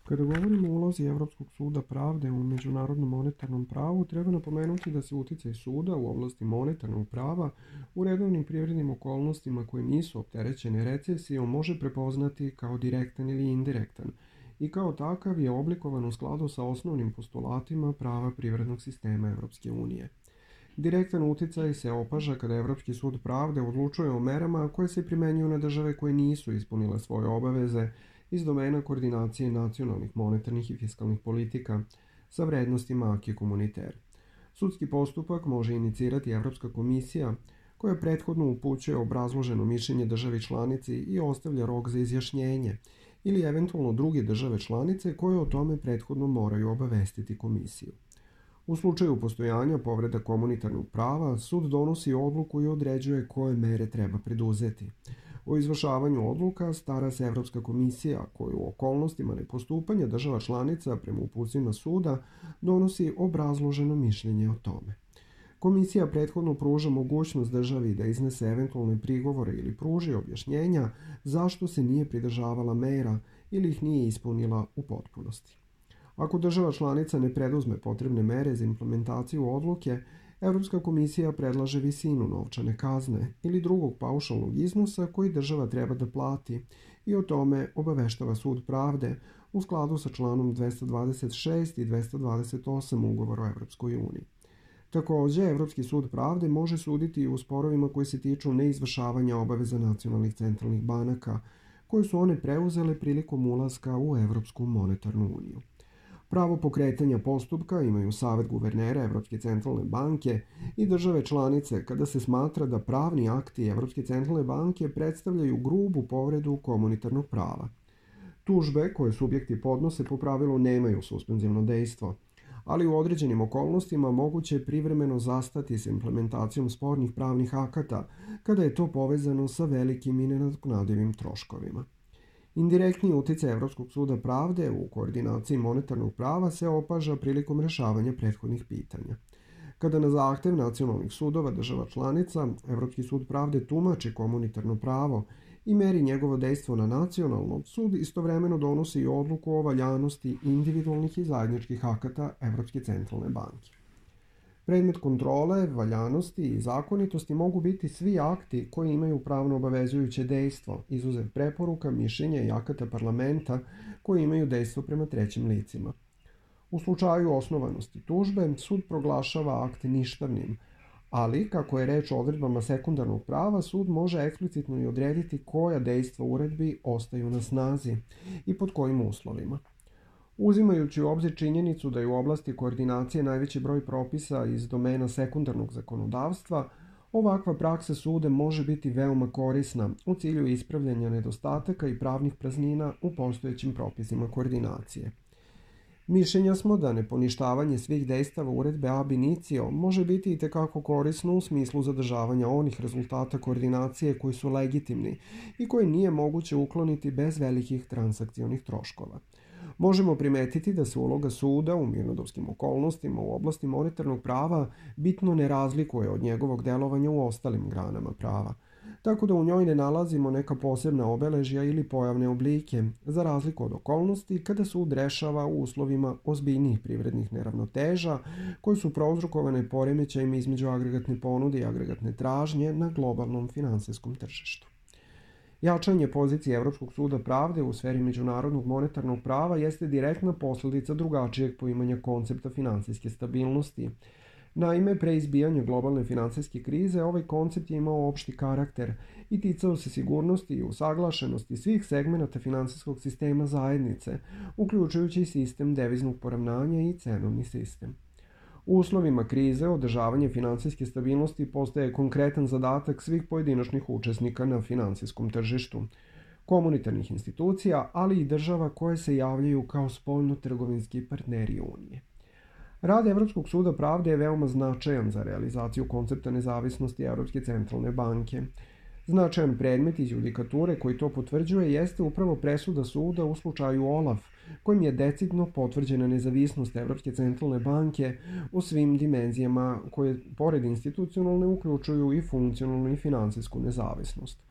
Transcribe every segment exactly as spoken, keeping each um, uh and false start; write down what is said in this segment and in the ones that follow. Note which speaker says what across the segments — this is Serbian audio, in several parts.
Speaker 1: Kada govorimo o ulozi Evropskog suda pravde u međunarodnom monetarnom pravu, treba napomenuti da se uticaj suda u oblasti monetarnog prava u redovnim privrednim okolnostima koje nisu opterećene recesijom može prepoznati kao direktan ili indirektan i kao takav je oblikovan u skladu sa osnovnim postulatima prava privrednog sistema Evropske unije. Direktan uticaj se opaža kada Evropski sud pravde odlučuje o merama koje se primenjuju na države koje nisu ispunile svoje obaveze iz domena koordinacije nacionalnih monetarnih i fiskalnih politika sa vrednostima acquis communautaire. Sudski postupak može inicirati Evropska komisija koja prethodno upućuje obrazloženo mišljenje državi članici i ostavlja rok za izjašnjenje ili eventualno druge države članice koje o tome prethodno moraju obavestiti komisiju. U slučaju postojanja povreda komunitarnog prava, sud donosi odluku i određuje koje mere treba preduzeti. O izvršavanju odluka stara se Evropska komisija koja u okolnostima nepostupanja država članica prema uputstvima suda donosi obrazloženo mišljenje o tome. Komisija prethodno pruža mogućnost državi da iznese eventualne prigovore ili pruži objašnjenja zašto se nije pridržavala mera ili ih nije ispunila u potpunosti. Ako država članica ne preduzme potrebne mere za implementaciju odluke, Evropska komisija predlaže visinu novčane kazne ili drugog paušalnog iznosa koji država treba da plati i o tome obaveštava sud pravde u skladu sa članom dvesta dvadeset šest i dvesta dvadeset osam Ugovora o Evropskoj uniji. Takođe, Evropski sud pravde može suditi i u sporovima koji se tiču neizvršavanja obaveza nacionalnih centralnih banaka, koje su one preuzele prilikom ulaska u Evropsku monetarnu uniju. Pravo pokretanja postupka imaju Savet guvernera Evropske centralne banke i države članice kada se smatra da pravni akti Evropske centralne banke predstavljaju grubu povredu komunitarnog prava. Tužbe koje subjekti podnose po pravilu nemaju suspenzivno dejstvo, ali u određenim okolnostima moguće je privremeno zastati s implementacijom spornih pravnih akata kada je to povezano sa velikim i nenadoknadivim troškovima. Indirektni uticaj Evropskog suda pravde u koordinaciji monetarnog prava se opaža prilikom rešavanja prethodnih pitanja. Kada na zahtev nacionalnih sudova država članica, Evropski sud pravde tumači komunitarno pravo i meri njegovo dejstvo na nacionalno, sud istovremeno donosi i odluku o valjanosti individualnih i zajedničkih akata Evropske centralne banke. Predmet kontrole, valjanosti i zakonitosti mogu biti svi akti koji imaju pravno obavezujuće dejstvo, izuzev preporuka, mišljenja i akata parlamenta koji imaju dejstvo prema trećim licima. U slučaju osnovanosti tužbe, sud proglašava akt ništavnim, ali, kako je reč o odredbama sekundarnog prava, sud može eksplicitno i odrediti koja dejstva uredbi ostaju na snazi i pod kojim uslovima. Uzimajući u obzir činjenicu da je u oblasti koordinacije najveći broj propisa iz domena sekundarnog zakonodavstva, ovakva praksa suda može biti veoma korisna u cilju ispravljanja nedostataka i pravnih praznina u postojećim propisima koordinacije. Mišljenja smo da neponištavanje svih dejstava uredbe ab initio može biti i tekako korisno u smislu zadržavanja onih rezultata koordinacije koji su legitimni i koje nije moguće ukloniti bez velikih transakcionih troškova. Možemo primetiti da se uloga suda u mirnodopskim okolnostima u oblasti monetarnog prava bitno ne razlikuje od njegovog delovanja u ostalim granama prava, tako da u njoj ne nalazimo neka posebna obeležja ili pojavne oblike, za razliku od okolnosti kada sud rešava u uslovima ozbiljnijih privrednih neravnoteža koje su prouzrokovane poremećajima između agregatne ponude i agregatne tražnje na globalnom finansijskom tržištu. Jačanje pozicije Evropskog suda pravde u sferi međunarodnog monetarnog prava jeste direktna posledica drugačijeg poimanja koncepta finansijske stabilnosti. Naime, pre izbijanja globalne finansijske krize, ovaj koncept je imao opšti karakter i ticao se sigurnosti i usaglašenosti svih segmenata finansijskog sistema zajednice, uključujući sistem deviznog poravnanja i cenovni sistem. U uslovima krize, održavanje finansijske stabilnosti postaje konkretan zadatak svih pojedinačnih učesnika na finansijskom tržištu, komunitarnih institucija, ali i država koje se javljaju kao spoljno-trgovinski partneri Unije. Rad Evropskog suda pravde je veoma značajan za realizaciju koncepta nezavisnosti Evropske centralne banke. Značajan predmet iz judikature koji to potvrđuje jeste upravo presuda suda u slučaju Olaf, kojim je decidno potvrđena nezavisnost Evropske centralne banke u svim dimenzijama koje, pored institucionalne, uključuju i funkcionalnu i finansijsku nezavisnost.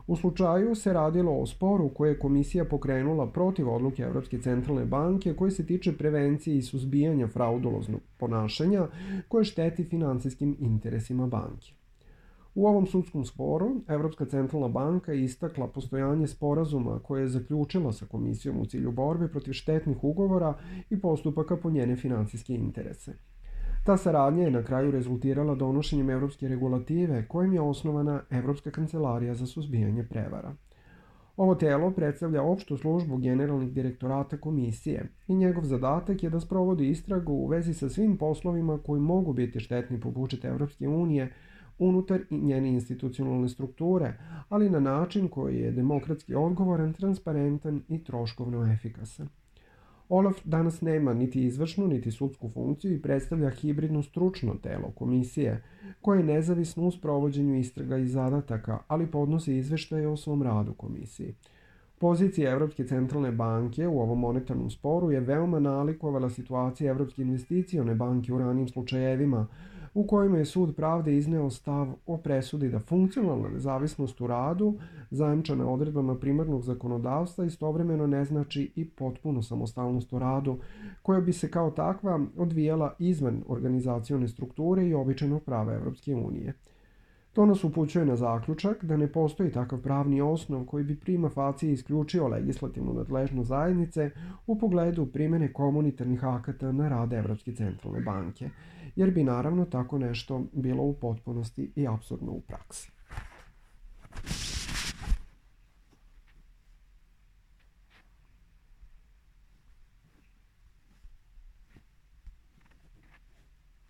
Speaker 1: U slučaju se radilo o sporu koje je komisija pokrenula protiv odluke Evropske centralne banke koji se tiče prevencije i suzbijanja frauduloznog ponašanja koje šteti finansijskim interesima banke. U ovom sudskom sporu Evropska centralna banka je istakla postojanje sporazuma koje je zaključila sa komisijom u cilju borbe protiv štetnih ugovora i postupaka po njene finansijske interese. Ta saradnja je na kraju rezultirala donošenjem evropske regulative kojim je osnovana Evropska kancelarija za suzbijanje prevara. Ovo telo predstavlja opštu službu generalnih direktorata komisije i njegov zadatak je da sprovodi istragu u vezi sa svim poslovima koji mogu biti štetni po budžet Evropske unije unutar njene institucionalne strukture, ali na način koji je demokratski odgovoran, transparentan i troškovno efikasan. Olaf danas nema niti izvršnu, niti sudsku funkciju i predstavlja hibridno stručno telo komisije, koje je nezavisno u sprovođenju istraga i zadataka, ali podnosi izveštaje o svom radu komisiji. Pozicija Evropske centralne banke u ovom monetarnom sporu je veoma nalikovala situacije Evropske investicione banke u ranim slučajevima, u kojima je Sud pravde izneo stav o presudi da funkcionalna nezavisnost u radu, zajamčena odredbama primarnog zakonodavstva, istovremeno ne znači i potpunu samostalnost u radu, koja bi se kao takva odvijala izvan organizacione strukture i običajnog prava Evropske unije. To nas upućuje na zaključak da ne postoji takav pravni osnov koji bi prima facie isključio legislativnu nadležnost zajednice u pogledu primene komunitarnih akata na rad Evropske centralne banke, jer bi naravno tako nešto bilo u potpunosti i apsurdno u praksi.